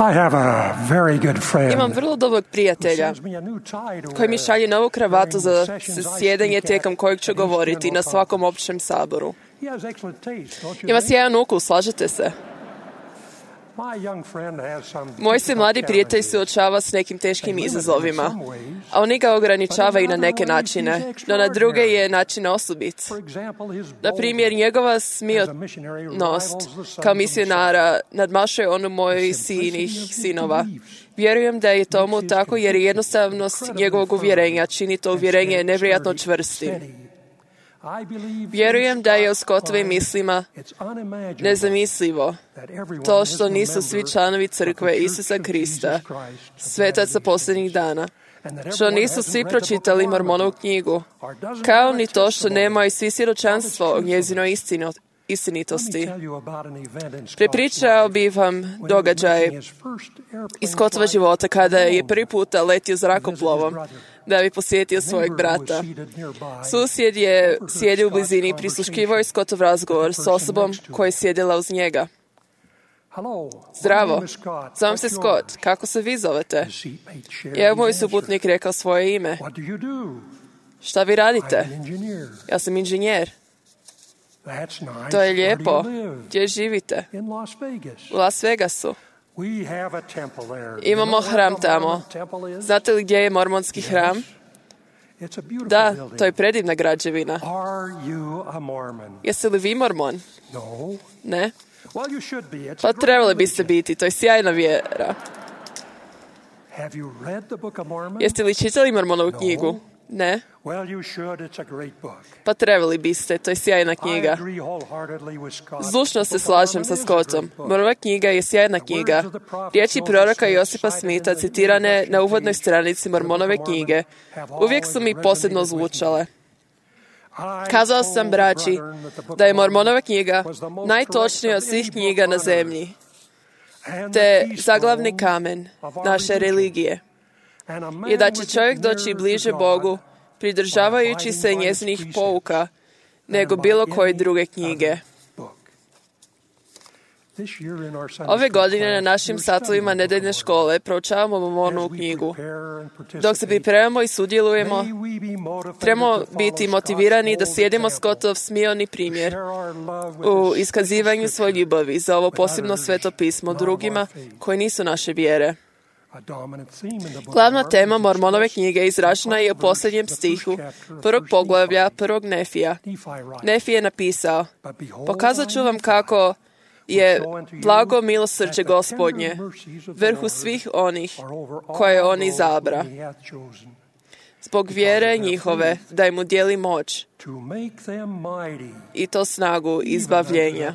I have a very good friend Imam vrlo dobrog prijatelja sends me a new tie to koji mi wear. šalje novu kravatu za sessions I sjedenje speak at tijekom kojeg ću each govoriti general na conference. svakom općem saboru. He has excellent taste, don't you Ima think? sjajan ukus, slažete se? My young friend has some Moj se mladi prijatelj challenges. suočava s nekim teškim izazovima, a oni ga ograničavaju na neke načine, no na druge je način osobit. For example, his Na primjer, njegova as a missionary smionost rivals the sons kao of misionara nadmašuje onu mojih sinova. Vjerujem da je tomu tako jer je jednostavnost njegovog uvjerenja čini to uvjerenje nevjerojatno čvrstim. I believe Vjerujem da je u Scottovim mislima it's unimaginable nezamislivo that everyone to is što a nisu svi member članovi of the crkve Church Isusa of Krista, Jesus Christ of svetaca Latter-day posljednjih dana, and that što everyone nisu hasn't svi read the Book of pročitali Mormon, Mormonovu knjigu, or doesn't kao have ni a to što testimony. nemaju svi svjedočanstvo o All its njezinoj Let me istinitosti. tell you about an event in Scott's Prepričao life bih vam when he was događaj making his first airplane iz Scottova flight života kada je alone prvi puta letio zrakoplovom da bi posjetio svojeg brata. Susjed je sjedio u blizini i prisluškivao je Scottov razgovor s osobom koja je sjedila uz njega. Zdravo, zovem se Scott, kako se vi zovete? Je moj suputnik rekao svoje ime. Šta vi radite? Ja sam inženjer. To je lijepo. Gdje živite? U Las Vegasu. Imamo hram tamo. Znate li gdje je mormonski hram? Da, to je predivna građevina. Jeste li vi mormon? Ne? Pa trebali biste biti, to je sjajna vjera. Jeste li čitali Mormonovu knjigu? Ne? Pa trebali biste, to je sjajna knjiga. Zdušno se slažem sa Scottom. Mormonova knjiga je sjajna knjiga. Riječi proroka Josipa Smitha citirane na uvodnoj stranici Mormonove knjige uvijek su mi posebno zvučale. Kazao sam braći da je Mormonova knjiga najtočnija od svih knjiga na zemlji, te zaglavni kamen naše religije, i da će čovjek doći bliže Bogu pridržavajući se njezinih pouka nego bilo koje druge knjige. Ove godine na našim satovima nedeljne škole proučavamo Mormonovu knjigu. Dok se pripremamo i sudjelujemo, trebamo biti motivirani da slijedimo Scottov smioni primjer u iskazivanju svoje ljubavi za ovo posebno sveto pismo drugima koji nisu naše vjere. Glavna tema Mormonove knjige izražena je u posljednjem stihu prvog poglavlja prvog Nefija. Nefi je napisao: pokazat ću vam kako je blago milosrđe Gospodnje vrhu svih onih koje on izabra, zbog vjere njihove da im udjeli moć i to snagu izbavljenja.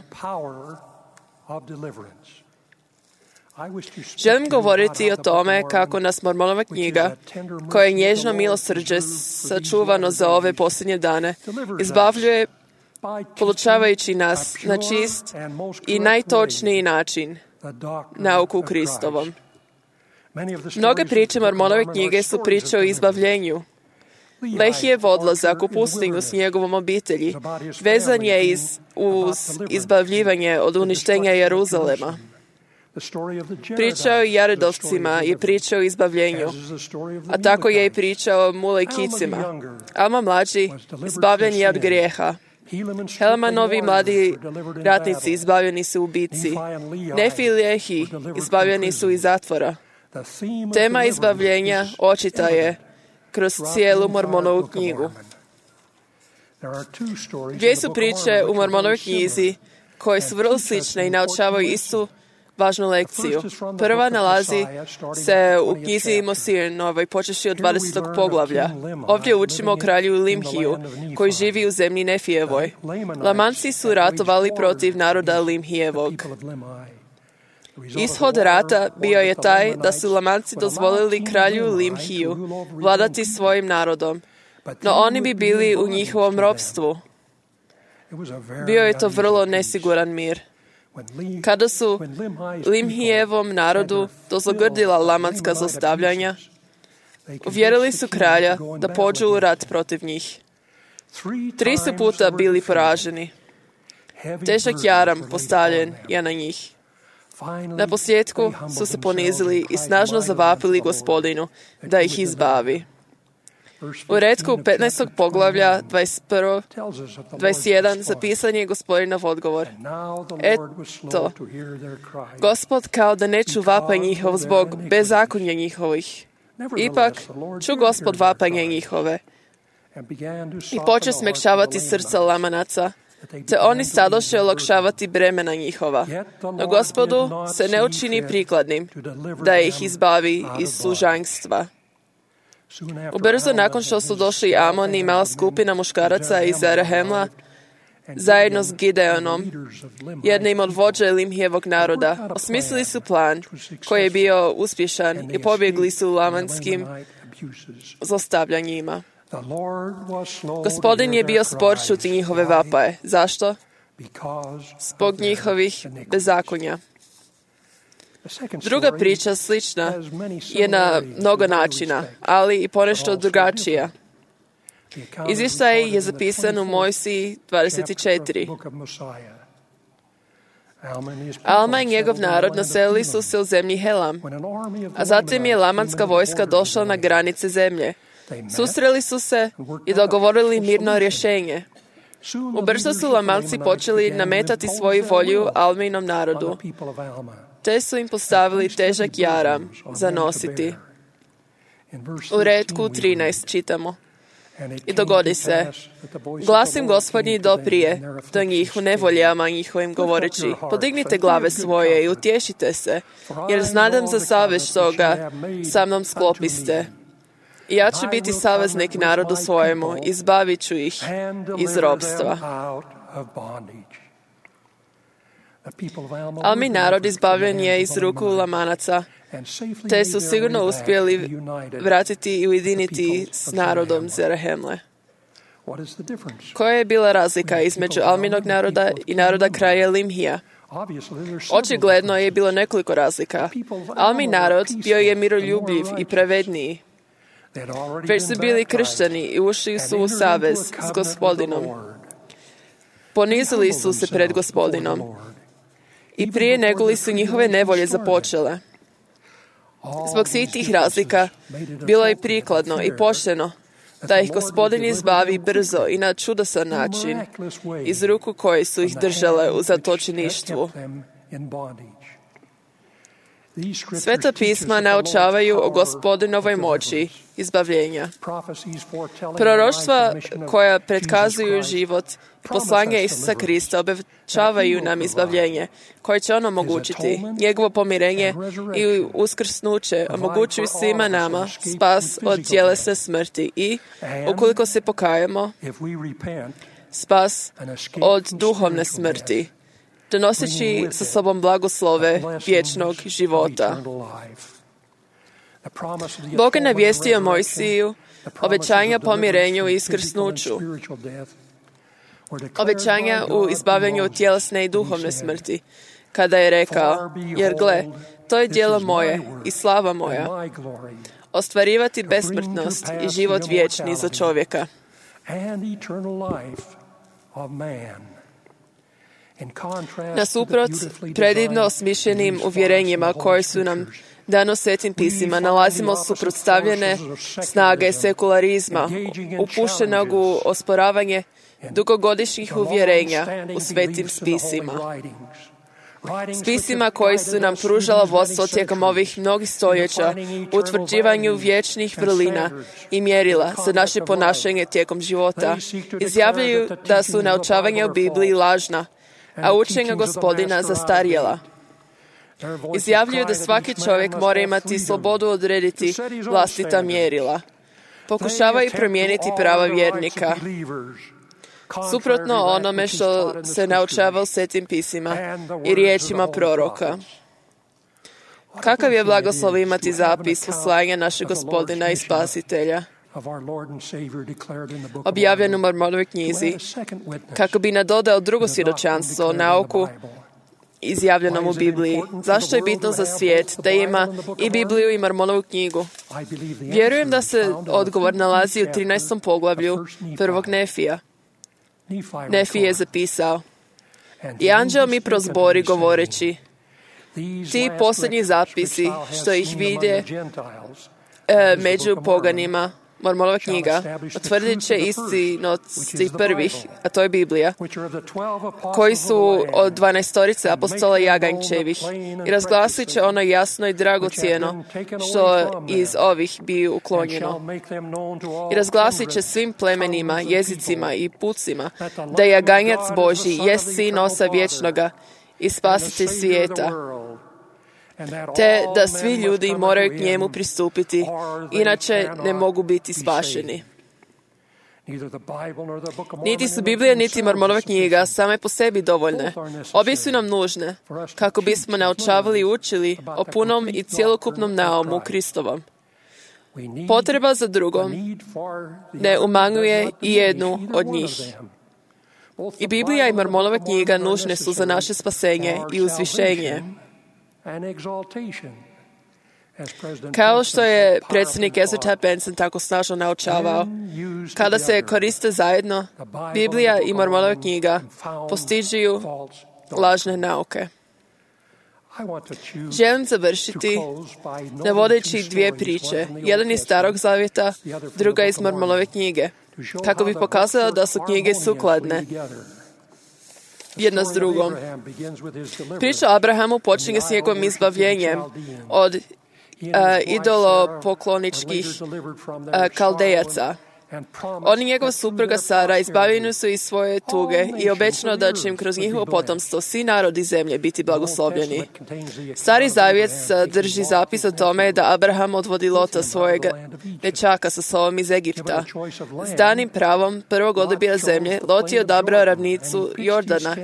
Želim govoriti o tome kako nas Mormonova knjiga, koja je nježno milosrđe sačuvano za ove posljednje dane, izbavljuje polučavajući nas na čist i najtočniji način nauku Kristovom. Mnoge priče Mormonove knjige su priče o izbavljenju. Lehijev odlazak u pustinju s njegovom obitelji vezan je uz izbavljivanje od uništenja Jeruzalema. Priča o Jaredovcima je priča o izbavljenju, a tako je i priča o Mulejkicima. Alma mlađi izbavljen je od grijeha. Helemanovi mladi ratnici izbavljeni su u bitci. Nefi i Lehi izbavljeni su iz zatvora. Tema izbavljenja očita je kroz cijelu Mormonovu knjigu. Dvije su priče u Mormonovoj knjizi koje su vrlo slične i naučavaju istu važnu lekciju. Prva nalazi se u knjizi Mosijanovoj, počevši od 20. poglavlja. Ovdje učimo o kralju Limhiju, koji živi u zemlji Nefijevoj. Lamanci su ratovali protiv naroda Limhijevog. Ishod rata bio je taj da su Lamanci dozvolili kralju Limhiju vladati svojim narodom, no oni bi bili u njihovom ropstvu. Bio je to vrlo nesiguran mir. Kada su Limhijevom narodu dozlogrdila lamanska zlostavljanja, uvjerili su kralja da pođu u rat protiv njih. 3 su puta bili poraženi. Težak jaram postavljen je na njih. Na posljedku su se ponizili i snažno zavapili Gospodinu da ih izbavi. U retku 15. poglavlja 21 zapisan je Gospodinov odgovor. Eto, Gospod kao da ne ču vapaj njihov zbog bezakonja njihovih. Ipak ču Gospod vapanje njihove i poče smekšavati srca Lamanaca, te oni sadoše olakšavati bremena njihova. No Gospodu se ne učini prikladnim da ih izbavi iz služanstva. Ubrzo nakon što su došli Amon i mala skupina muškaraca iz Zarahemla, zajedno s Gideonom, jednim od vođa Limhijevog naroda, osmislili su plan koji je bio uspješan i pobjegli su lamanskim zlostavljanjima. Gospodin je bio spor čuti njihove vapaje. Zašto? Zbog njihovih bezakonja. Druga priča slična je na mnogo načina, ali i ponešto drugačija. Izvještaj je zapisan u Mojsiji 24. Alma i njegov narod naselili su se u zemlji Helam, a zatim je lamanska vojska došla na granice zemlje. Susreli su se i dogovorili mirno rješenje. Ubrzo su Lamanci počeli nametati svoju volju Alminom narodu, te su im postavili težak jaram za nositi. U retku 13 čitamo. I dogodi se, glasim Gospodnji doprije do njih u nevoljama njihovim govoreći, podignite glave svoje i utješite se, jer znadem za savez što ga sa mnom sklopiste. I ja ću biti saveznik narodu svojemu, izbavit ću ih iz ropstva. Almin narod izbavljen je iz ruku Lamanaca, te su sigurno uspjeli vratiti i ujediniti s narodom Zarahemle. Koja je bila razlika između Alminog naroda i naroda kraja Limhija? Očigledno je bilo nekoliko razlika. Almin narod bio je miroljubljiv i pravedniji. Već su bili kršteni i ušli su u savez s Gospodinom. Ponizili su se pred Gospodinom. I prije nego li su njihove nevolje započele. Zbog svih tih razlika bilo je prikladno i pošteno da ih Gospodin izbavi brzo i na čudosan način iz ruku koje su ih držale u zatočeništvu. Sveta pisma naučavaju o Gospodinovoj moći izbavljenja. Proroštva koja predkazuju život i poslanje Isusa Krista obećavaju nam izbavljenje koje će on omogućiti. Njegovo pomirenje i uskrsnuće omogućuju svima nama spas od tjelesne smrti i, ukoliko se pokajemo, spas od duhovne smrti, donoseći sa sobom blagoslove vječnog života. Bog je navijestio Mojsiju obećanja pomirenju i iskrsnuću, obećanja u izbavljanju od tjelesne i duhovne smrti, kada je rekao, jer gle, to je djelo moje i slava moja, ostvarivati besmrtnost i život vječni za čovjeka. Nasuprot predivno osmišljenim uvjerenjima koje su nam dano Svetim pisima, nalazimo suprotstavljene snage sekularizma, upuštenog u osporavanje dugogodišnjih uvjerenja u Svetim spisima. Spisima koji su nam pružala vodstvo tijekom ovih mnogih stoljeća u utvrđivanju vječnih vrlina i mjerila za naše ponašanje tijekom života. Izjavljuju da su naučavanja u Bibliji lažna, a učenja Gospodina zastarjela. Izjavljuju da svaki čovjek mora imati slobodu odrediti vlastita mjerila. Pokušavaju promijeniti prava vjernika, suprotno onome što se naučava u Svetim pisima i riječima proroka. Kakav je blagoslov imati zapis poslanja našeg Gospodina i Spasitelja, objavljen u Mormonovoj knjizi, kako bi nadodao drugo svjedočanstvo o nauku izjavljenom u Bibliji. Zašto je bitno za svijet da ima i Bibliju i Mormonovu knjigu? Vjerujem da se odgovor nalazi u 13. poglavlju prvog Nefija. Nefi je zapisao: I anđeo mi prozbori govoreći, Ti posljednji zapisi što ih vide među poganima, Mormonova knjiga, utvrdit će istinosti prvih, a to je Biblija, koji su od 12 apostola Jaganjčevih, i razglasit će ono jasno i dragocjeno što iz ovih bi uklonjeno. I razglasit će svim plemenima, jezicima i pucima da je Jaganjac Božji jest sin Oca vječnoga i spasitelj svijeta, te da svi ljudi moraju k njemu pristupiti, inače ne mogu biti spašeni. Niti su Biblija, niti Mormonova knjiga same po sebi dovoljne. Obje su nam nužne, kako bismo naučavali i učili o punom i cjelokupnom naumu Kristovom. Potreba za drugom ne umanjuje i jednu od njih. I Biblija i Mormonova knjiga nužne su za naše spasenje i uzvišenje. Kao što je predsjednik Ezra Taft Benson tako snažno naučavao, kada se koriste zajedno, Biblija i Mormonova knjiga postižu lažne nauke. Želim završiti navodeći dvije priče. Jedan iz Starog zavjeta, druga iz Mormonove knjige, kako bi pokazala da su knjige sukladne jedna s drugom. Priča o Abrahamu počinje s njegovim izbavljenjem od idolopokloničkih Kaldejaca. On i njegova supruga Sara izbavljeni su iz svoje tuge i obećano da će im kroz njihovo potomstvo svi narodi zemlje biti blagoslovljeni. Stari zavjet drži zapis o tome da Abraham odvodi Lota, svojeg dječaka, sa sobom iz Egipta. S danim pravom prvog odabira zemlje, Lot je odabrao ravnicu Jordana,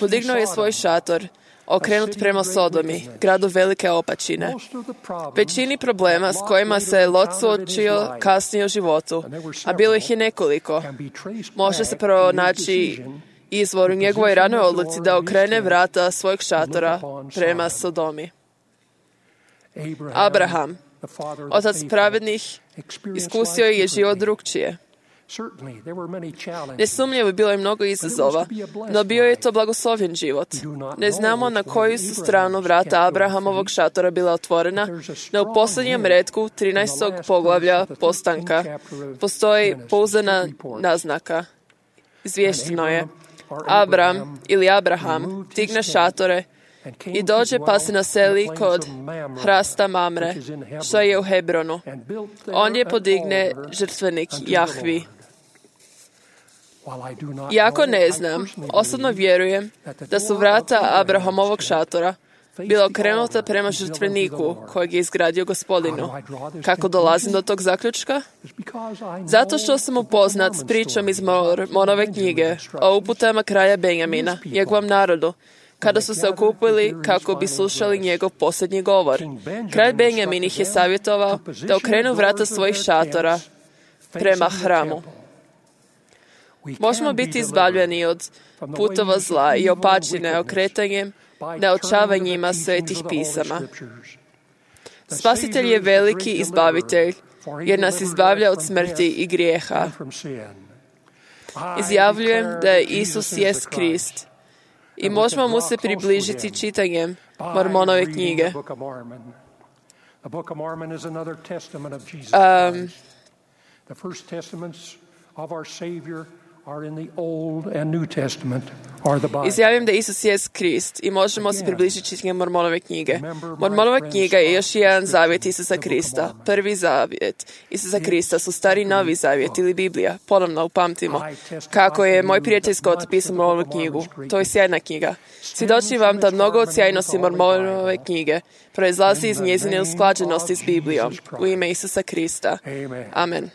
podignuo je svoj šator, okrenut prema Sodomi, gradu velike opačine. Većini problema s kojima se Lot suočio kasnije u životu, a bilo ih je nekoliko, može se pronaći izvor u njegovoj ranoj odluci da okrene vrata svojeg šatora prema Sodomi. Abraham, otac pravednih, iskusio je život drukčije. Nesumnjivo bilo je mnogo izazova, no bio je to blagoslovljen život. Ne znamo na koju su stranu vrata Abrahamovog šatora bila otvorena, no u posljednjem retku 13. poglavlja Postanka postoji pouzdana naznaka. Izvješteno je: Abram ili Abraham digne šatore i dođe pa se naseli kod hrasta Mamre, što je u Hebronu. On je podigne žrtvenik Jahvi. Iako ne znam, osobno vjerujem da su vrata Abrahamovog šatora bila okrenuta prema žrtveniku kojeg je izgradio Gospodinu. Kako dolazim do tog zaključka? Zato što sam upoznat s pričom iz Mormonove knjige o uputama kralja Benjamina, njegovom narodu, kada su se okupili kako bi slušali njegov posljednji govor. Kralj Benjamin ih je savjetovao da okrenu vrata svojih šatora prema hramu. Možemo biti izbavljeni od putova zla i opačine okretanjem naučavanjima svetih pisama. Spasitelj je veliki izbavitelj, jer nas izbavlja od smrti i grijeha. Izjavljujem da je Isus jest Krist i možemo mu se približiti čitanjem Mormonove knjige. Izjavim da Isus jest Krist i možemo se približiti čitanjem Mormonove knjige. Mormonova knjiga je još jedan zavjet Isusa Krista. Prvi zavjet Isusa Krista su Stari i Novi zavjet ili Biblija. Ponovno upamtimo kako je moj prijatelj Scott pisao Mormonovu knjigu. To je sjajna knjiga. Svjedočim vam da mnogo od sjajnosti Mormonove knjige proizlazi iz njezine usklađenosti s Biblijom. U ime Isusa Krista. Amen.